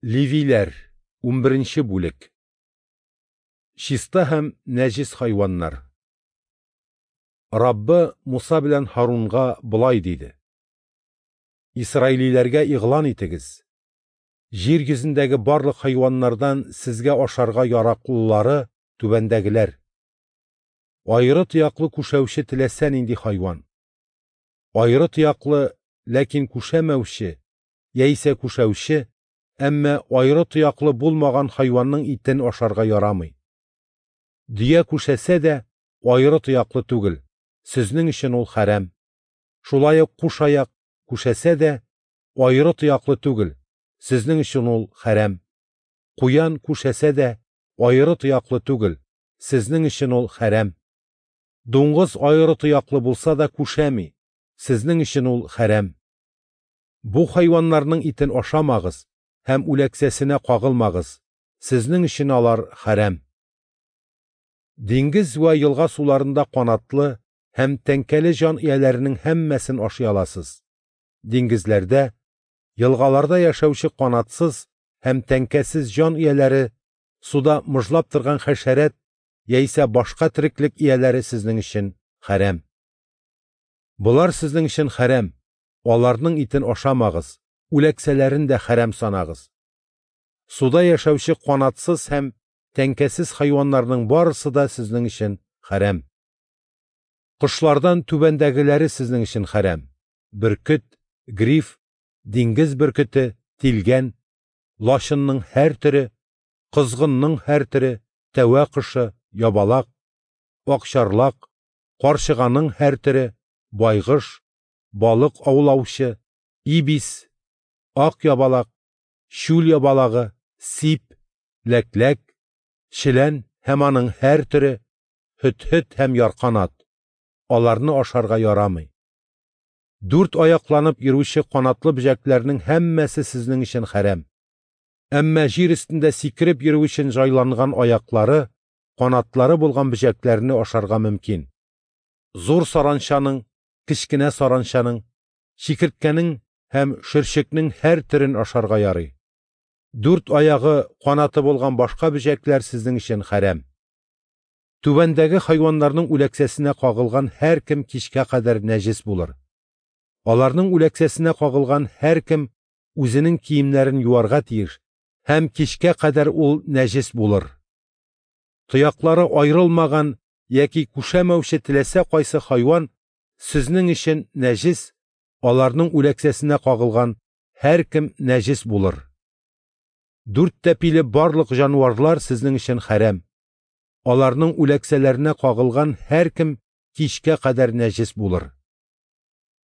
Левиләр, 11 бүлек. Чиста һәм нәҗис хайваннар. Раббы Муса белән Һарунга болай диде: Исраилиләргә игълан итегез: Җир йөзендәге барлык хайваннардан сезгә ашарга яраклылары түбәндәгеләр: Аеры тояклы күшәүче теләсә нинди хайван. Аеры тояклы, ләкин күшәмәүче яисә күшәүче, әмма аеры тояклы булмаган хайванның итен ашарга ярамый. Дөя күшәсә дә аеры тояклы түгел, сезнең өчен ул хәрам. Шулай ук кушаяк күшәсә дә аеры тояклы түгел, сезнең өчен ул хәрам. Куян күшәсә дә аеры тояклы түгел, сезнең өчен ул хәрам. Дуңгыз аеры тояклы булса да күшәми, сезнең өчен ул хәрам. Бу хайваннарның итен ашамагыз һәм үләксәсенә кагылмагыз, сезнең өчен алар хәрам. Диңгез вә елга суларында канатлы һәм тәңкәле җан ияләренең һәммәсен ашый аласыз. Диңгезләрдә, елгаларда яшәүче канатсыз һәм тәңкәсез җан ияләре, суда мыжлап торган хәшәрәт яисә башка тереклек ияләре сезнең өчен хәрам. Болар сезнең өчен хәрам, аларның итен ашамагыз, үләксәләрен дә хәрам санагыз. Суда яшәүче канатсыз һәм тәңкәсез хайваннарның барысы да сезнең өчен хәрам. Кошлардан түбәндәгеләре сезнең өчен хәрам: бөркет, гриф, диңгез бөркете, тилгән, лачынның һәр төре, козгынның һәр төре, тәвә кошы, ябалак, акчарлак, карчыганың һәр төре, байгыш, балык аулаучы, ибис, ак ябалак, чүл ябалагы, сип, ләкләк, челән һәм аның һәр төре, һөт-һөт һәм ярканат. Аларны ашарга ярамый. Дүрт аякланып йөрүче канатлы бөҗәкләрнең һәммәсе сезнең өчен хәрам. Әмма җир өстендә сикереп йөрү өчен җайланган аяклары, канатлары булган бөҗәкләрне ашарга мөмкин. Зур саранчаның, кечкенә саранчаның, чикерткәнең һәм шөрчекнең һәр төрен ашарга ярый. Дүрт аягы, канаты булган башка бөҗәкләр сезнең өчен хәрам. Түбәндәге хайваннарның үләксәсенә кагылган һәркем кичкә кадәр нәҗис булыр. Аларның үләксәсенә кагылган һәркем үзенең киемнәрен юарга тиеш һәм кичкә кадәр ул нәҗис булыр. Тояклары аерылмаган яки күшәмәүче теләсә кайсы хайван сезнең өчен нәҗис, аларның үләксәсенә кагылган һәркем нәҗис булыр. Дүрт тәпиле барлык җанварлар сезнең өчен хәрам. Аларның үләксәләренә кагылган һәркем кичкә кадәр нәҗис булыр.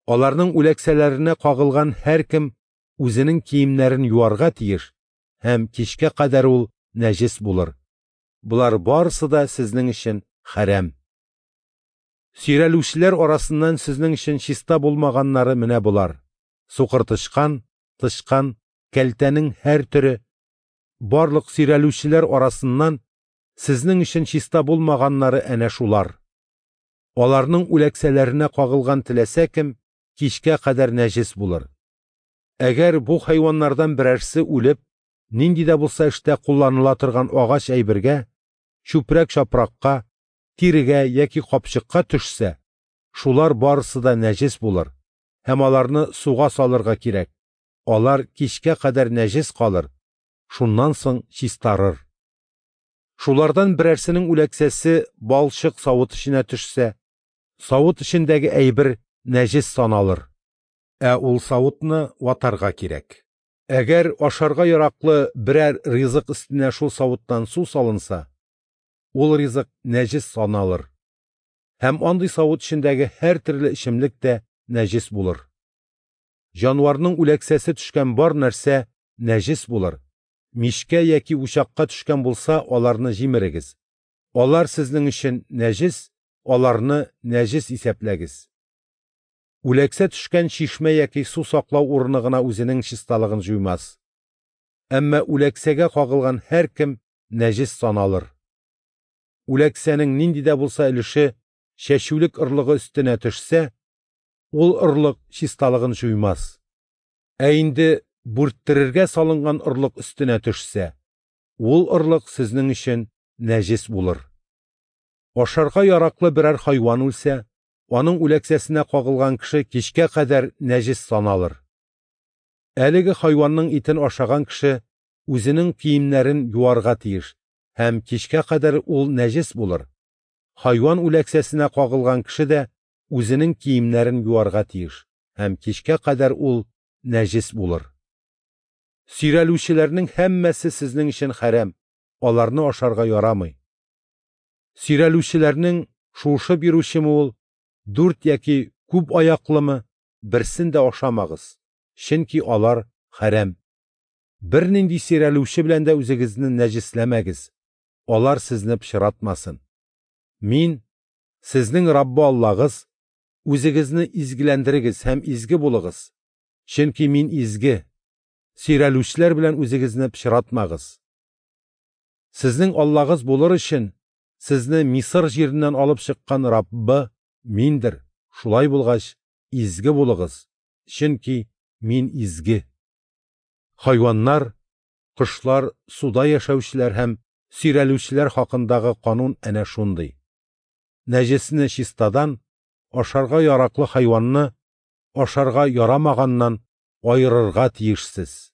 Аларның үләксәләренә кагылган һәркем үзенең киемнәрен юарга тиеш һәм кичкә кадәр ул нәҗис булыр. Болар барысы да сезнең өчен хәрам. Сөйрәлүчеләр арасыннан сезнең өчен чиста булмаганнары менә болар: сукыр тычкан, тычкан, кәлтәнең һәр төре. Барлык сөйрәлүчеләр арасыннан сезнең өчен чиста булмаганнары әнә шулар. Аларның үләксәләренә кагылган теләсә кем кичкә кадәр нәҗис булыр. Әгәр бу хайваннардан берәрсе үлеп, нинди дә булса эштә кулланыла торган агач әйбергә, чүпрәк-чапракка, тирегә яки капчыкка төшсә, шулар барысы да нәҗис булыр һәм аларны суга салырга кирәк. Алар кичкә кадәр нәҗис калыр, шуннан соң чистарыр. Шулардан берәрсенең үләксәсе балчык савыт эченә төшсә, савыт эчендәге әйбер нәҗис саналыр. Ә ул савытны ватарга кирәк. Әгәр ашарга яраклы берәр ризык өстенә шул савыттан су салынса, ул ризык нәҗис саналыр. Һәм андый савыт эчендәге һәр төрле эчемлек тә нәҗис булыр. Җанварның үләксәсе төшкән бар нәрсә нәҗис булыр. Мичкә яки учакка төшкән булса, аларны җимерегез. Алар сезнең өчен нәҗис, аларны нәҗис исәпләгез. Үләксә төшкән чишмә яки су саклау урыны гына үзенең чисталыгын җуймас. Әмма үләксәгә кагылган һәркем нәҗис саналыр. Үләксәнең нинди дә булса өлеше чәчүлек орлыгы өстенә төшсә, ул орлык чисталыгын җуймас. Ә инде бүрттерергә салынган орлык өстенә төшсә, ул орлык сезнең өчен нәҗес булыр. Ашарга яраклы берәр хайван үлсә, аның үләксәсенә кагылган кеше кичкә кадәр нәҗес саналыр. Әлеге хайванның итен ашаган кеше үзенең киемнәрен юарга тиеш һәм кичкә кадәр ул нәҗес булыр. Хайван үләксәсенә кагылган кеше дә үзенең киемнәрен юарга тиеш һәм кичкә кадәр ул нәҗес булыр. Сөйрәлүчеләрнең һәммәсе сезнең өчен хәрам, аларны ашарга ярамый. Сөйрәлүчеләрнең шуышып йөрүчеме ул, дүрт яки күп аяклымы, берсен дә ашамагыз, чөнки алар хәрам. Бернинди сөйрәлүче белән дә үзегезне нәҗесләмәгез, алар сезне пычратмасын. Мин, сезнең Раббы Аллагыз, үзегезне изгеләндерегез һәм изге булыгыз, чөнки мин изге. Сөйрәлүчеләр белән үзегезне пычратмагыз. Сезнең Аллагыз булыр өчен сезне Мисыр җиреннән алып чыккан Раббы миндер. Шулай булгач, изге булыгыз, чөнки мин изге. Хайваннар, кошлар, суда яшәүчеләр һәм сөйрәлүчеләр хакындагы канун әнә шундый. Нәҗесне чистадан, ашарга яраклы хайванны ашарга ярамаганнан аерырга тиешсез.